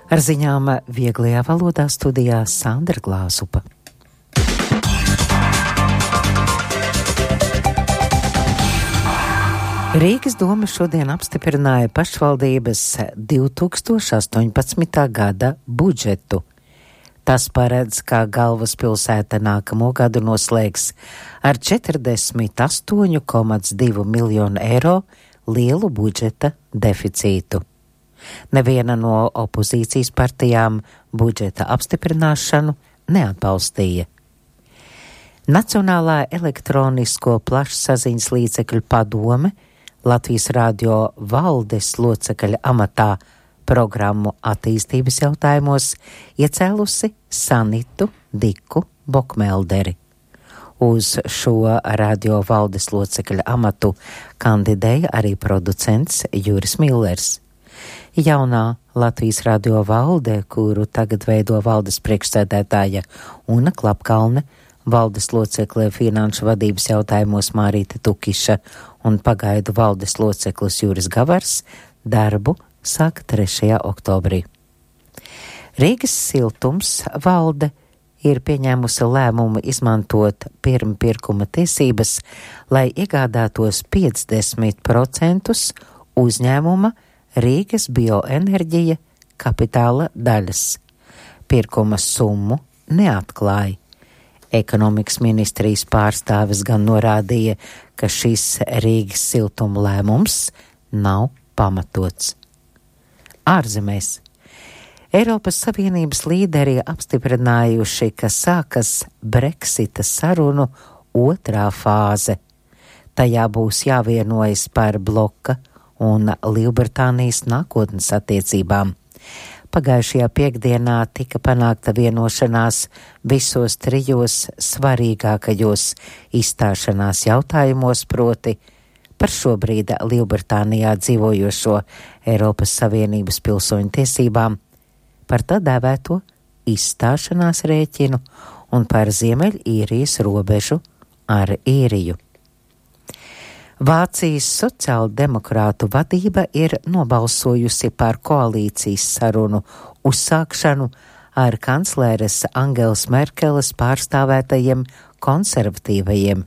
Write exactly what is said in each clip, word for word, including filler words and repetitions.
Ar ziņām vieglajā valodā studijā Sandra Glāzupa. Rīgas doma šodien apstiprināja pašvaldības divi tūkstoši astoņpadsmitā gada budžetu. Tas paredz, ka galvaspilsēta nākamo gadu noslēgs ar četrdesmit astoņu komats divu miljonu eiro lielu budžeta deficītu. Neviena no opozīcijas partijām budžeta apstiprināšanu neatbalstīja. Nacionālā elektronisko plašsaziņas līdzekļu padome Latvijas radio valdes locekļa amatā programmu attīstības jautājumos iecēlusi Sanitu Diku Bokmelderi. Uz šo radio valdes locekļa amatu kandidēja arī producents Juris Millers. Jaunā Latvijas radio valde, kuru tagad veido valdes priekšsēdētāja Una Klapkalne, valdes locekle finanšu vadības jautājumos Mārīte Tukiša un pagaidu valdes loceklis Juris Gavars, darbu sāka trešajā oktobrī. Rīgas siltums valde ir pieņēmusi lēmumu izmantot pirmpirkuma tiesības, lai iegādātos piecdesmit procentus uzņēmuma Rīgas bioenerģija kapitāla daļas. Pirkuma summu neatklāja. Ekonomikas ministrijas pārstāvis gan norādīja, ka šis Rīgas siltuma lēmums nav pamatots. Ārzemēs. Eiropas Savienības līderi apstiprinājuši, ka sākas Brexita sarunu otrā fāze. Tajā būs jāvienojas par bloka un Lielbritānijas nākotnes attiecībām. Pagājušajā piekdienā tika panākta vienošanās visos trijos svarīgākajos izstāšanās jautājumos, proti par šobrīd Lielbritānijā dzīvojošo Eiropas Savienības pilsoņu tiesībām, par tā dēvēto izstāšanās rēķinu un par Ziemeļīrijas robežu ar Īriju. Vācijas sociāldemokrātu vadība ir nobalsojusi par koalīcijas sarunu uzsākšanu ar kancleres Angelas Merkeles pārstāvētajiem konservatīvajiem.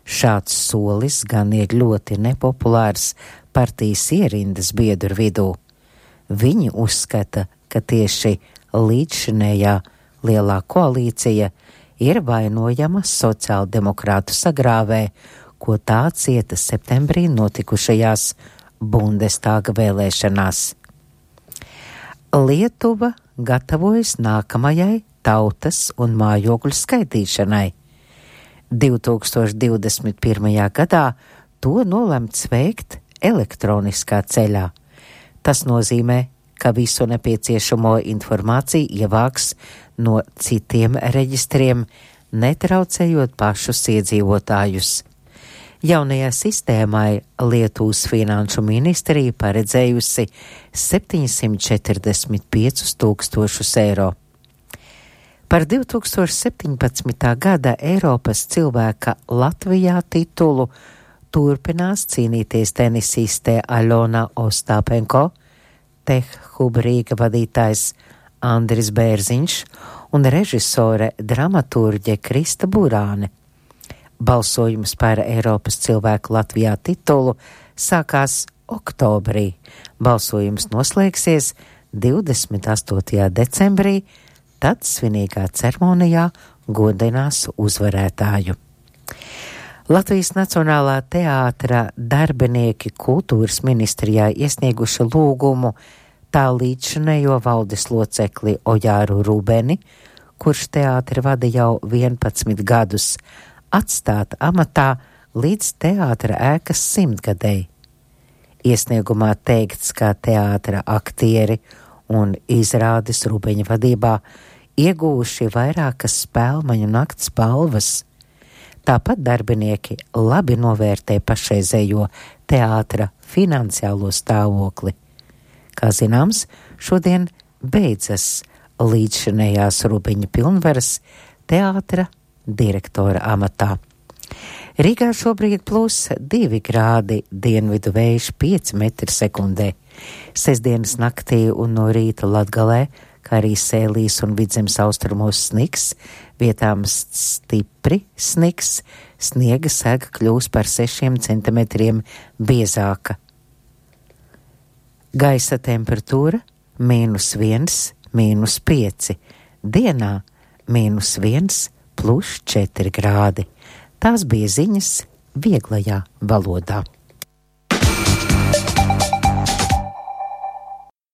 Šāds solis gan ir ļoti nepopulārs partijas ierindas biedru vidū. Viņi uzskata, ka tieši līdzšinējā lielā koalīcija ir vainojama sociāldemokrātu sagrāvē, ko tā cieta septembrī notikušajās Bundestāga vēlēšanās. Lietuva gatavojas nākamajai tautas un mājokļu skaitīšanai. divi tūkstoši divdesmit pirmajā gadā to nolemts veikt elektroniskā ceļā. Tas nozīmē, ka visu nepieciešamo informāciju ievāks no citiem reģistriem, netraucējot pašus iedzīvotājus. Jaunajā sistēmai Lietuvas finanšu ministrija paredzējusi septiņsimt četrdesmit piecus tūkstošus eiro. Par divi tūkstoši septiņpadsmitā gada Eiropas cilvēka Latvijā titulu turpinās cīnīties tenisiste Aļona Ostāpenko, Tehhub Rīga vadītājs Andris Bērziņš un režisore dramaturģe Krista Burāne. Balsojums par Eiropas cilvēku Latvijā titulu sākās oktobrī. Balsojums noslēgsies divdesmit astotajā decembrī, tad svinīgā ceremonijā godinās uzvarētāju. Latvijas Nacionālā teātra darbinieki kultūras ministrijā iesnieguši lūgumu tā līdzšinējo valdes locekli Ojāru Rūbeni, kurš teātri vada jau vienpadsmit gadus, atstāt amatā līdz teātra ēkas simtgadēji. Iesniegumā teikts, ka teātra aktieri un izrādes Rūbeņa vadībā iegūši vairākas spēlmaņu nakts balvas. Tāpat darbinieki labi novērtē pašreizējo teātra finansiālo stāvokli. Kā zināms, šodien beidzas līdzšinējās Rūbeņa pilnvaras teātra direktora amatā. Rīgā šobrīd plus divi grādi, dienvidu vējš pieci metri sekundē. Sestdienas naktī un no rīta Latgalē, kā arī Sēlīs un Vidzemes austrumos sniks, vietām stipri sniks, sniega sega kļūs par sešiem centimetriem biezāka. Gaisa temperatūra mīnus viens, mīnus pieci, dienā mīnus viens, plus četri grādi. Tās bija ziņas vieglajā valodā.